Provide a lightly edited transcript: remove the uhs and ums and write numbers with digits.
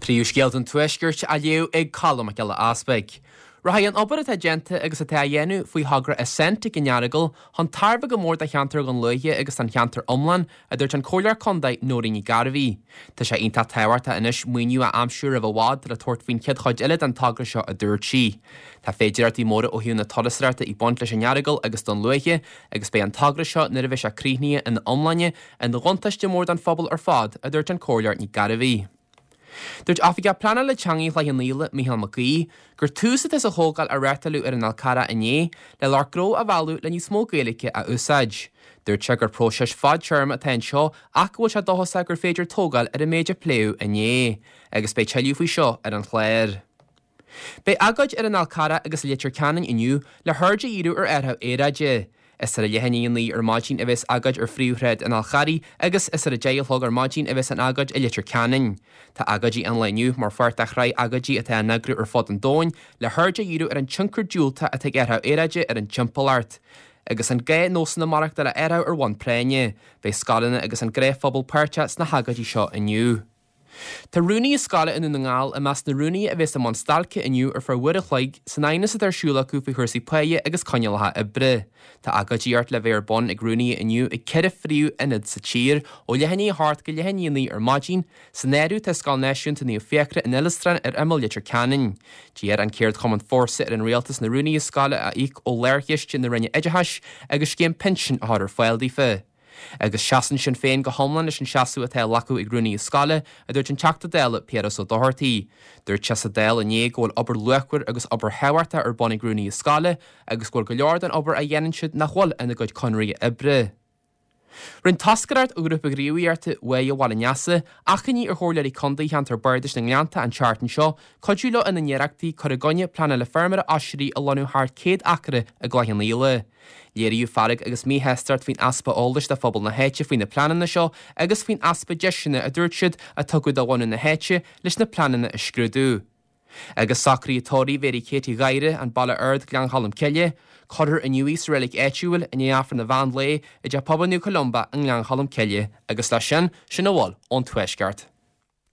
Príomhscéalta an Tuaiscirt á léamh ag Colm Mac Giolla Easpaig. Rachaidh an obair atá déanta agus atá á dhéanamh faoi thogra Ascent ag an Earagail chun tairbhe go mór do cheantar Dhún Lúiche agus don cheantar iomlán, a dúirt an Comhairleoir Contae Nóirín Ní Gairbhí. Tá sé iontach tábhachtach anois maoiniú a aimsiú roimh i bhfad le tabhairt faoin chéad chuid eile den togra seo, a dúirt sí. Tá féidireachtaí móra ó thaobh na turasóireachta ag baint leis an Earagail agus Dún Lúiche agus beidh an togra seo nuair a bheidh sé críochnaithe ina iomláine ina bhuntáiste mór don phobal ar fad, a dúirt an Comhairleoir Ní Gairbhí. Dúirt Oifigeach Pleanála Teanga Chloich Cheann Fhaola, Micheál Mac Aoidh, gur tús atá sa chomhdháil a reáchtáladh ar an Fhál Carrach inné le lucht gnó a mhealladh le níos mó Gaeilge a úsáid. Dúirt sé gur próiseas fadtéarma atá anseo ach go bhfuil sé dóchasach gur féidir tógáil ar an méid a pléadh inné. Agus beidh tuilleadh faoi seo ar an chlár. Beidh agóid ar an Fhál Carrach agus i Leitir Ceanainn inniu le haird a dhíriú ar athrú aeráide. Is ar a leath i ndiaidh 9 ar maidin a bheas agóid ar phríomhshráid an Fháil Charraigh agus is ar a 10 a chlog ar maidin a bheas an agóid i Leitir Ceanainn. Tá agóidí an lae inniu mar pháirt de shraith agóidí atá á n-eagrú ar fud an domhain le haird a dhíriú ar an tionchar diúltach atá ag athrú aeráide ar an timpeallacht agus an gá nósanna maireachtála a athrú ar bhonn práinne. Beidh scoileanna agus an gnáthphobal páirteach sna hagóidí seo inniu. Tá rúnaithe scoile i nDún na nGall i measc na rúnaithe a bheas i mbun stailce inniu ar feadh uair a chloig san aighneas atá ar siúl acu faoi chúrsaí páighe agus coinníollacha oibre. Tá agóidíocht le bheith ar bun ag rúnaithe inniu ag 4 phríomh-ionad sa tír ó leath i ndiaidh 8 go leath i ndiaidh 9 ar maidin. San áireamh tá Scoil Náisiúnta Naomh Fiachra in Indreabhán ar imeall Leitir Ceanainn. D'iarr an ceardchumann Fórsa ar an rialtas na rúnaithe scoile a íoc ó lárchiste na Roinne Oideachais agus scéim pinsin a chur ar fáil daofa. Agus seasann Sinn Féin go hiomlán leis an seasamh atá á ghlacadh ag rúnaithe scoile, a dúirt an Teachta Dála Piaras Ó Dochartaigh. Dúirt sé sa Dáil inné go bhfuil obair luachmhar agus obair thábhachtach ar bun ag rúnaithe scoile agus go bhfuil go leor den obair a dhéanann siad nach bhfuil ina gcuid conarthaí oibre. Rinne toscaireacht ó Ghrúpa Gníomhaíochta Bháire Bhaile an Easa achainí ar Chomhairleoirí Contae cheantar Bardais na nGleannta an tseachtain seo cuidiú leo ina n-iarrachtaí cur i gcoinne pleanála feirmeora oisrí a lonnú thart 100 acra i gCloich Cheann Fhaola. Léiríodh fearg agus míshástacht faoin easpa eolais do phobal na háite faoi na pleananna seo agus faoin easpa deiseanna, a dúirt siad, a tugadh do bhunadh na háite leis na pleananna a scrúdú. Agus socruithe tórraimh Mhary Katie Gháire, An Baile Ard, Gleann Cholm Cille, cuirfear inniu í sa reilig áitiúil i ndiaidh Aifreann an mheán lae i dTeach Pobail Naomh Columba i nGleann Cholm Cille agus leis sin, sin a bhfuil ón Tuaisceart.